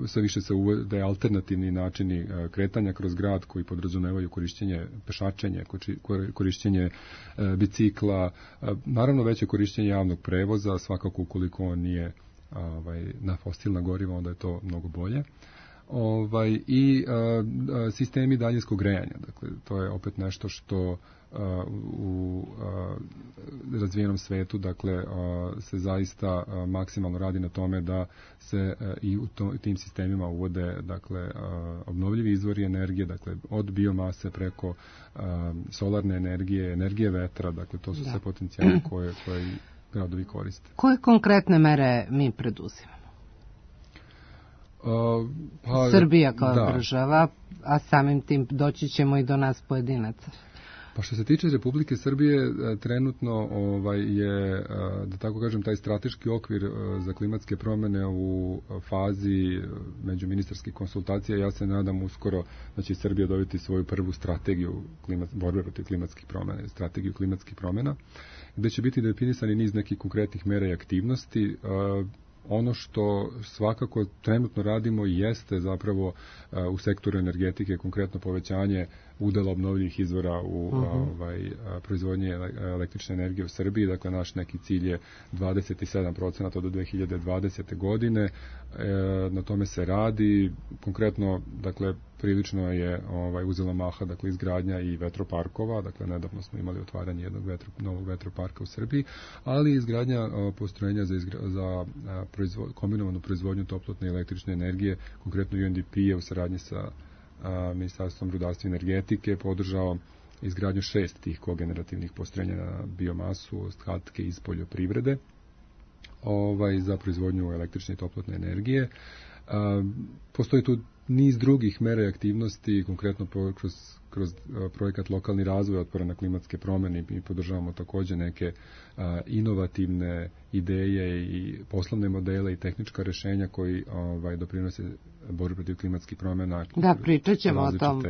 Sve više se uvode alternativni načini kretanja kroz grad koji podrazumevaju korišćenje pešačenja, korišćenje bicikla, naravno veće korišćenje javnog prevoza, svakako ukoliko on nije na fosilna goriva, onda je to mnogo bolje. I sistemi daljinskog grejanja, dakle to je opet nešto što u razvijenom svetu, dakle, se zaista maksimalno radi na tome da se i u tim sistemima uvode, dakle, obnovljivi izvori energije, dakle, od biomase preko solarne energije, energije vetra, dakle, to su sve potencijali koje gradovi koriste. Koje konkretne mere mi preduzimamo? Srbija kao država, a samim tim doći ćemo i do nas pojedinaca. Pa što se tiče Republike Srbije, trenutno je, da tako kažem, taj strateški okvir za klimatske promjene u fazi međuministarskih konsultacija. Ja se nadam uskoro da će Srbija dobiti svoju prvu strategiju borbe protiv klimatskih promjena, strategiju klimatskih promjena, gde će biti definisani niz nekih konkretnih mera i aktivnosti. Ono što svakako trenutno radimo jeste zapravo u sektoru energetike konkretno povećanje udela obnovljivih izvora u proizvodnji električne energije u Srbiji. Dakle, naš neki cilj je 27% do 2020. godine. Na tome se radi. Konkretno, dakle, prilično je uzela maha, dakle, izgradnja i vetroparkova. Dakle, nedavno smo imali otvaranje jednog novog vetroparka u Srbiji, ali izgradnja postrojenja za kombinovanu proizvodnju toplotne i električne energije, konkretno UNDP je u saradnji sa Ministarstvom rudarstva i energetike podržao izgradnju 6 tih kogenerativnih postrojenja na biomasu, ostatke iz poljoprivrede za proizvodnju električne i toplotne energije. Postoji tu niz drugih mera i aktivnosti, konkretno kroz projekat Lokalni razvoj otpora na klimatske promjene i podržavamo također neke inovativne ideje i poslovne modele i tehnička rješenja koji doprinose borbi protiv klimatskih promjena. Da, pričat ćemo o tom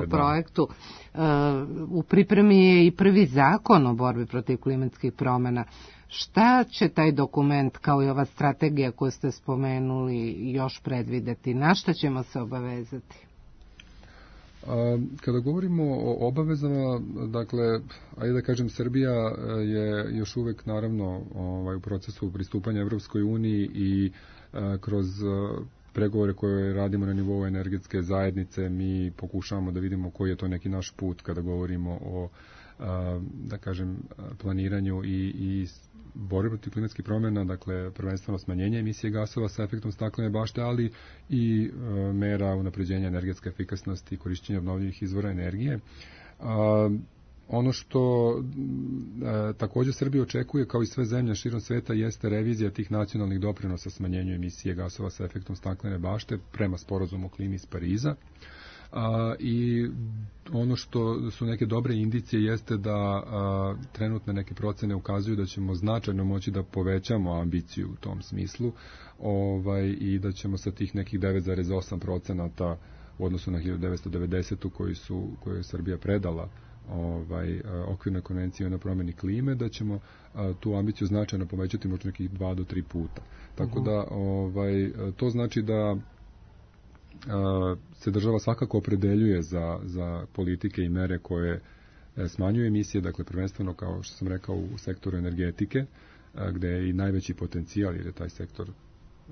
projektu. U pripremi je i prvi zakon o borbi protiv klimatskih promjena. Šta će taj dokument, kao i ova strategija koju ste spomenuli, još predvideti? Na šta ćemo se obavezati? Kada govorimo o obavezama, dakle, ajde da kažem, Srbija je još uvek naravno u procesu pristupanja Evropskoj uniji i kroz pregovore koje radimo na nivou energetske zajednice mi pokušavamo da vidimo koji je to neki naš put kada govorimo o, da kažem, planiranju i borbe protiv klimatskih promjena, dakle prvenstveno smanjenje emisije gasova sa efektom staklene bašte, ali i mera unapređenja energetske efikasnosti i korišćenja obnovljivih izvora energije. Ono što također Srbija očekuje, kao i sve zemlje širom sveta, jeste revizija tih nacionalnih doprinosa smanjenju emisije gasova sa efektom staklene bašte prema sporazumu o klimi iz Pariza. I ono što su neke dobre indicije jeste da trenutne neke procene ukazuju da ćemo značajno moći da povećamo ambiciju u tom smislu i da ćemo sa tih nekih 9,8% u odnosu na 1990. koju je Srbija predala okvirnoj konvenciji na promjeni klime, da ćemo tu ambiciju značajno povećati možda nekih 2 do 3 puta. Tako da to znači da se država svakako opredeljuje za politike i mere koje smanjuju emisije, dakle prvenstveno, kao što sam rekao, u sektoru energetike, gde je i najveći potencijal, jer je taj sektor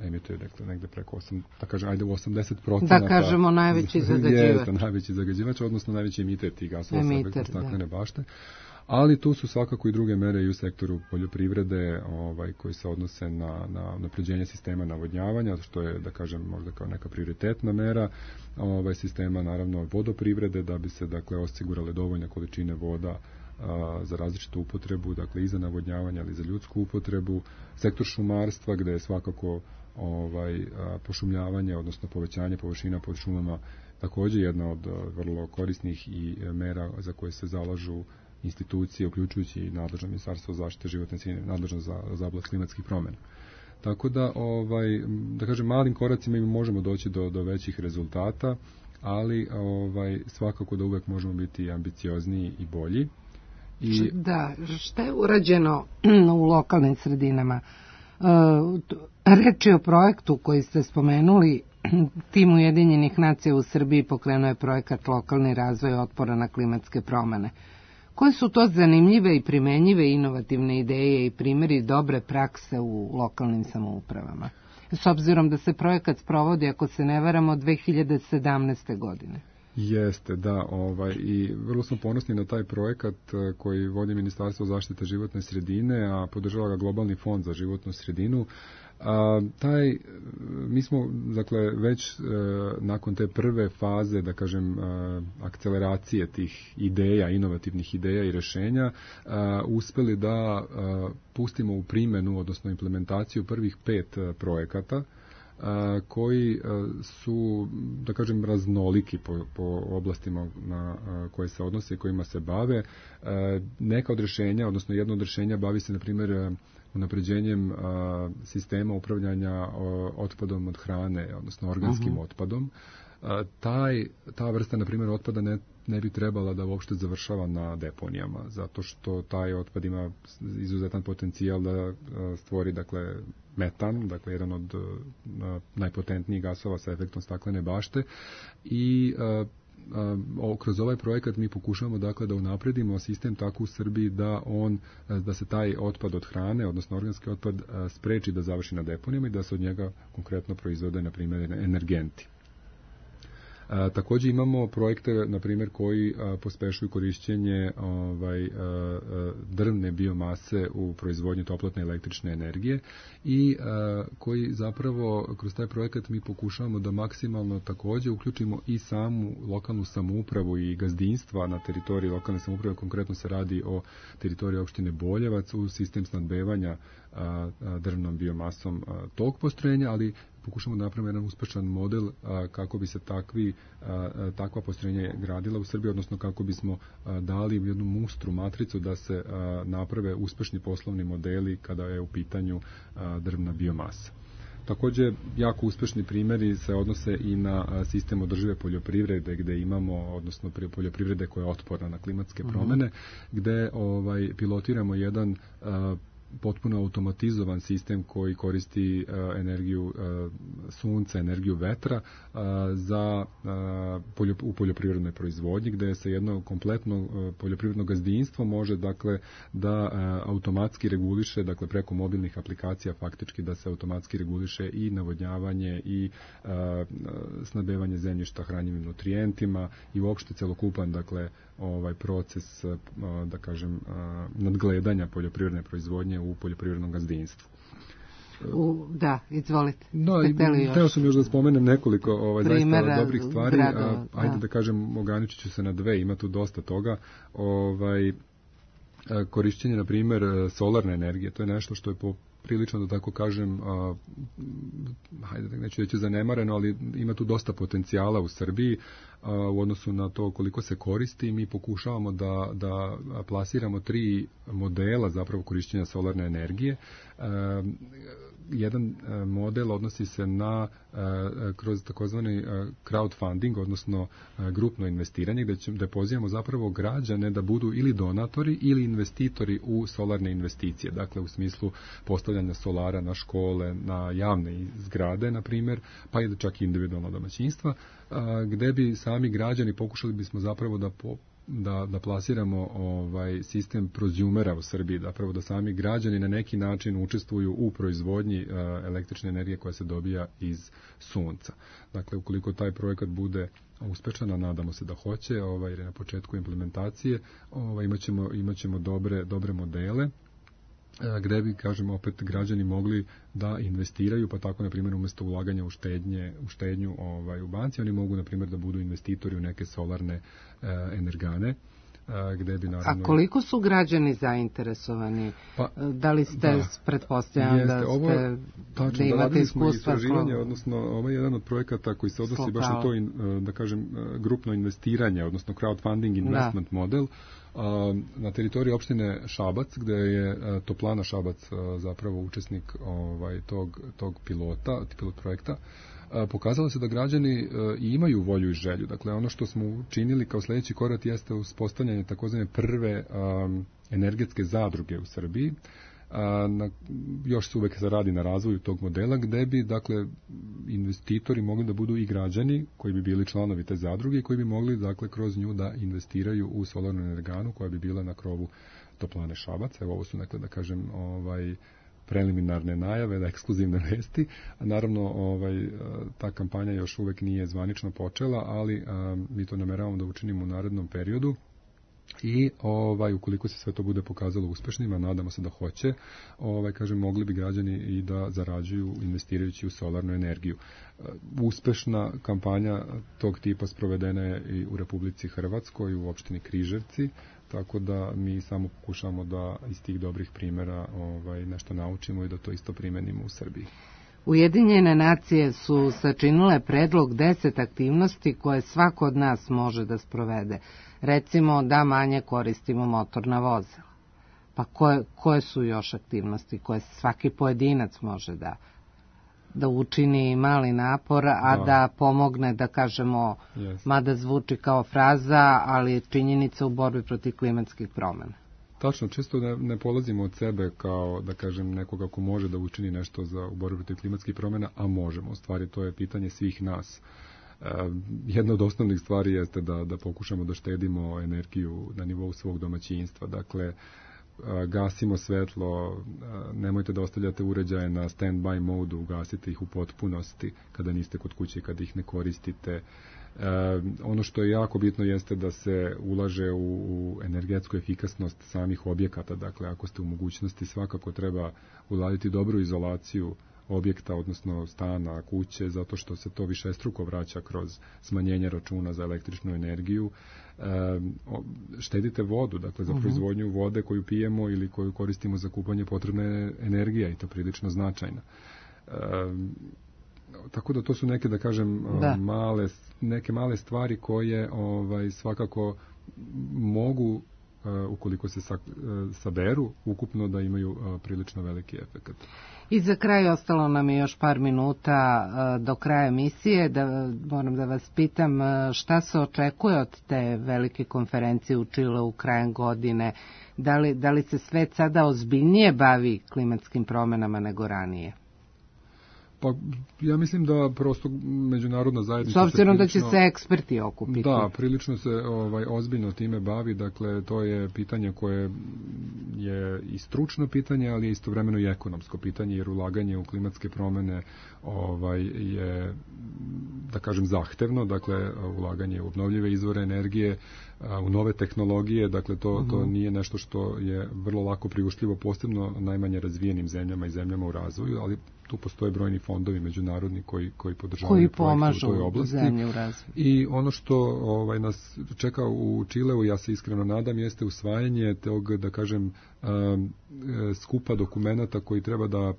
emituje, dakle, negde preko 80%. Da kažemo najveći zagađivač. Najveći zagađivač, odnosno najveći emiter tih gasova sa efektom staklene bašte. Ali tu su svakako i druge mere i u sektoru poljoprivrede koji se odnose na unapređenje sistema navodnjavanja, što je, da kažem, možda kao neka prioritetna mera sistema, naravno, vodoprivrede, da bi se, dakle, osigurale dovoljne količine voda za različitu upotrebu, dakle i za navodnjavanje, ali i za ljudsku upotrebu. Sektor šumarstva, gde je svakako pošumljavanje, odnosno povećanje površina pod šumama, također jedna od vrlo korisnih i mera za koje se zalažu institucije, uključujući i nadležno Ministarstvo zaštite životne sredine, nadležno za oblast klimatskih promjena. Tako da, da kažem, malim koracima mi možemo doći do većih rezultata, ali svakako da uvek možemo biti ambiciozniji i bolji. Da, šta je urađeno u lokalnim sredinama? Reč je o projektu koji ste spomenuli, tim Ujedinjenih nacija u Srbiji pokrenuo je projekat Lokalni razvoj otpora na klimatske promjene. Koje su to zanimljive i primenjive inovativne ideje i primjeri dobre prakse u lokalnim samoupravama? S obzirom da se projekat sprovodi, ako se ne varamo, 2017. godine. Jeste, da, i vrlo smo ponosni na taj projekat koji vodi Ministarstvo zaštite životne sredine, a podržava ga Globalni fond za životnu sredinu. Mi smo, dakle, već nakon te prve faze, da kažem, akceleracije tih ideja, inovativnih ideja i rješenja, uspeli da pustimo u primjenu, odnosno implementaciju prvih 5 projekata koji su, da kažem, raznoliki po oblastima na koje se odnose i kojima se bave. Neka od rješenja, odnosno jedno od rješenja bavi se, na primjer, unapređenjem sistema upravljanja otpadom od hrane, odnosno organskim otpadom. Ta vrsta, na primjer, otpada ne bi trebala da uopšte završava na deponijama, zato što taj otpad ima izuzetan potencijal da stvori, dakle, metan, dakle, jedan od najpotentnijih gasova sa efektom staklene bašte i kroz ovaj projekat mi pokušavamo, dakle, da unapredimo sistem tako u Srbiji da se taj otpad od hrane, odnosno organski otpad, spreči da završi na deponijama i da se od njega konkretno proizvode, na primjer, energenti. Također imamo projekte, na primjer, koji pospešuju korišćenje drvne biomase u proizvodnji toplotne električne energije i koji zapravo kroz taj projekat mi pokušavamo da maksimalno također uključimo i samu lokalnu samoupravu i gazdinstva na teritoriji lokalne samouprave. Konkretno se radi o teritoriji opštine Boljevac u sistem snabdevanja drvnom biomasom tog postrojenja, ali pokušamo da napravimo jedan uspešan model kako bi se takva postrojenja gradila u Srbiji, odnosno kako bismo dali jednu mustru matricu da se naprave uspešni poslovni modeli kada je u pitanju drvna biomasa. Također, jako uspešni primjeri se odnose i na sistem održive poljoprivrede, gde imamo, odnosno poljoprivrede koja je otporna na klimatske promjene, gde pilotiramo jedan potpuno automatizovan sistem koji koristi energiju sunca, energiju vetra u poljoprivrednoj proizvodnji, gde se jedno kompletno poljoprivredno gazdinstvo može, dakle, da automatski reguliše, dakle, preko mobilnih aplikacija faktički da se automatski reguliše i navodnjavanje i snabdevanje zemljišta hranjivim nutrijentima i uopšte celokupan, dakle, proces, da kažem, nadgledanja poljoprivredne proizvodnje u poljoprivrednom gazdinstvu. Da, izvolite. Teo sam još da spomenem nekoliko zaista dobrih stvari. Ajde da kažem, ograničit ću se na dve, ima tu dosta toga. Korišćenje, na primjer, solarne energije, to je nešto što je prilično, da tako kažem, neću reći zanemareno, ali ima tu dosta potencijala u Srbiji u odnosu na to koliko se koristi. Mi pokušavamo da plasiramo 3 modela zapravo korišćenja solarne energije. Jedan model odnosi se na kroz takozvani crowdfunding, odnosno grupno investiranje, gde pozivamo zapravo građane da budu ili donatori ili investitori u solarne investicije, dakle u smislu postavljanja solara na škole, na javne zgrade, na primjer, pa i čak i individualno domaćinstva, gde bi sami građani, pokušali bismo zapravo da plasiramo sistem prozumera u Srbiji, zapravo da sami građani na neki način učestvuju u proizvodnji električne energije koja se dobija iz sunca. Dakle, ukoliko taj projekat bude uspešan, a nadamo se da hoće, jer je na početku implementacije, imaćemo dobre modele gde bi, kažem, opet građani mogli da investiraju, pa tako, na primjer, umjesto ulaganja u štednju u banci, oni mogu, na primjer, da budu investitori u neke solarne energane. Gde bi, naravno... A koliko su građani zainteresovani? Da li ste, pretpostavljam, da imate iskustva? Odnosno, ovo je jedan od projekata koji se odnosi baš na to, da kažem, grupno investiranje, odnosno crowdfunding investment model, na teritoriji opštine Šabac, gde je Toplana Šabac zapravo učesnik tog pilot projekta. Pokazalo se da građani imaju volju i želju. Dakle, ono što smo učinili kao sljedeći korak jeste uspostavljanje takozvane prve energetske zadruge u Srbiji. Još se uvek radi na razvoju tog modela, gde bi, dakle, investitori mogli da budu i građani koji bi bili članovi te zadruge i koji bi mogli, dakle, kroz nju da investiraju u solarnu energanu koja bi bila na krovu Toplane Šabac. Evo, ovo su, dakle, da kažem, preliminarne najave, da ekskluzivne vesti. Naravno, ta kampanja još uvek nije zvanično počela, ali mi to nameravamo da učinimo u narednom periodu. I ukoliko se sve to bude pokazalo uspešnima, nadamo se da hoće, kažem, mogli bi građani i da zarađuju investirajući u solarnu energiju. Uspešna kampanja tog tipa sprovedena je i u Republici Hrvatskoj, u opštini Križevci, tako da mi samo pokušamo da iz tih dobrih primjera nešto naučimo i da to isto primenimo u Srbiji. Ujedinjene nacije su sačinile predlog 10 aktivnosti koje svako od nas može da sprovede. Recimo da manje koristimo motorna vozila. Pa koje su još aktivnosti koje svaki pojedinac može da učini mali napor, a da pomogne, da kažemo, mada zvuči kao fraza, ali je činjenica u borbi protiv klimatskih promjena. Tačno, često ne polazimo od sebe kao, da kažem, nekoga ko može da učini nešto u borbi protiv klimatskih promjena, a možemo. U stvari, to je pitanje svih nas. Jedna od osnovnih stvari jeste da pokušamo da štedimo energiju na nivou svog domaćinstva. Dakle, gasimo svetlo, nemojte da ostavljate uređaje na stand-by modu, ugasite ih u potpunosti kada niste kod kuće i kada ih ne koristite. Ono što je jako bitno jeste da se ulaže u energetsku efikasnost samih objekata. Dakle, ako ste u mogućnosti, svakako treba uraditi dobru izolaciju objekta, odnosno stana, kuće, zato što se to višestruko vraća kroz smanjenje računa za električnu energiju. Štedite vodu, dakle za proizvodnju vode koju pijemo ili koju koristimo za kupanje, potrebna je energija i to prilično značajna. Tako da to su neke, da kažem, neke male stvari koje svakako mogu, ukoliko se saberu, ukupno da imaju prilično veliki efekat. I za kraj ostalo nam je još par minuta do kraja emisije. Moram da vas pitam šta se očekuje od te velike konferencije u Čileu krajem godine. Da li se svet sada ozbiljnije bavi klimatskim promjenama nego ranije? Pa ja mislim da prosto međunarodna zajednica... S obzirom da će se eksperti okupiti. Da, prilično se ozbiljno time bavi, dakle to je pitanje koje je i stručno pitanje, ali je istovremeno i ekonomsko pitanje, jer ulaganje u klimatske promjene je, da kažem, zahtevno, dakle ulaganje u obnovljive izvore energije, u nove tehnologije, dakle to nije nešto što je vrlo lako priuštljivo, posebno najmanje razvijenim zemljama i zemljama u razvoju, ali tu postoje brojni fondovi međunarodni koji podržavaju projekte u toj oblasti. I ono što nas čeka u Čileu, ja se iskreno nadam, jeste usvajanje tog, da kažem, skupa dokumenata koji treba da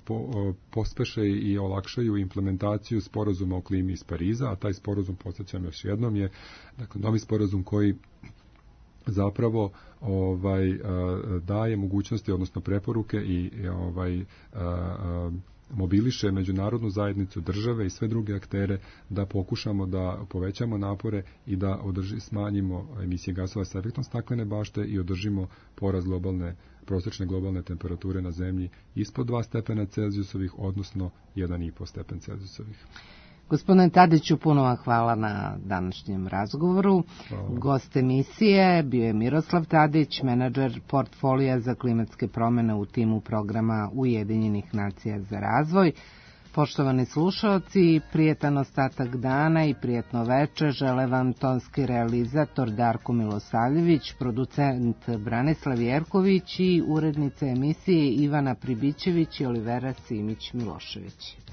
pospeše i olakšaju implementaciju sporazuma o klimi iz Pariza, a taj sporazum, podsjećam još jednom, je dakle novi sporazum koji zapravo daje mogućnosti, odnosno preporuke i mobiliše međunarodnu zajednicu, države i sve druge aktere da pokušamo da povećamo napore i da smanjimo emisije gasova sa efektom staklene bašte i održimo porast prosječne globalne temperature na zemlji ispod 2 stepena Celzijusovih, odnosno 1,5 stepen Celzijusovih. Gospodine Tadiću, puno vam hvala na današnjem razgovoru. Hvala. Gost emisije bio je Miroslav Tadić, menadžer portfolija za klimatske promjene u timu programa Ujedinjenih nacija za razvoj. Poštovani slušaoci, prijetan ostatak dana i prijetno veče žele vam tonski realizator Darko Milosavljević, producent Branislav Jerković i urednica emisije Ivana Pribićević i Olivera Simić-Milošević.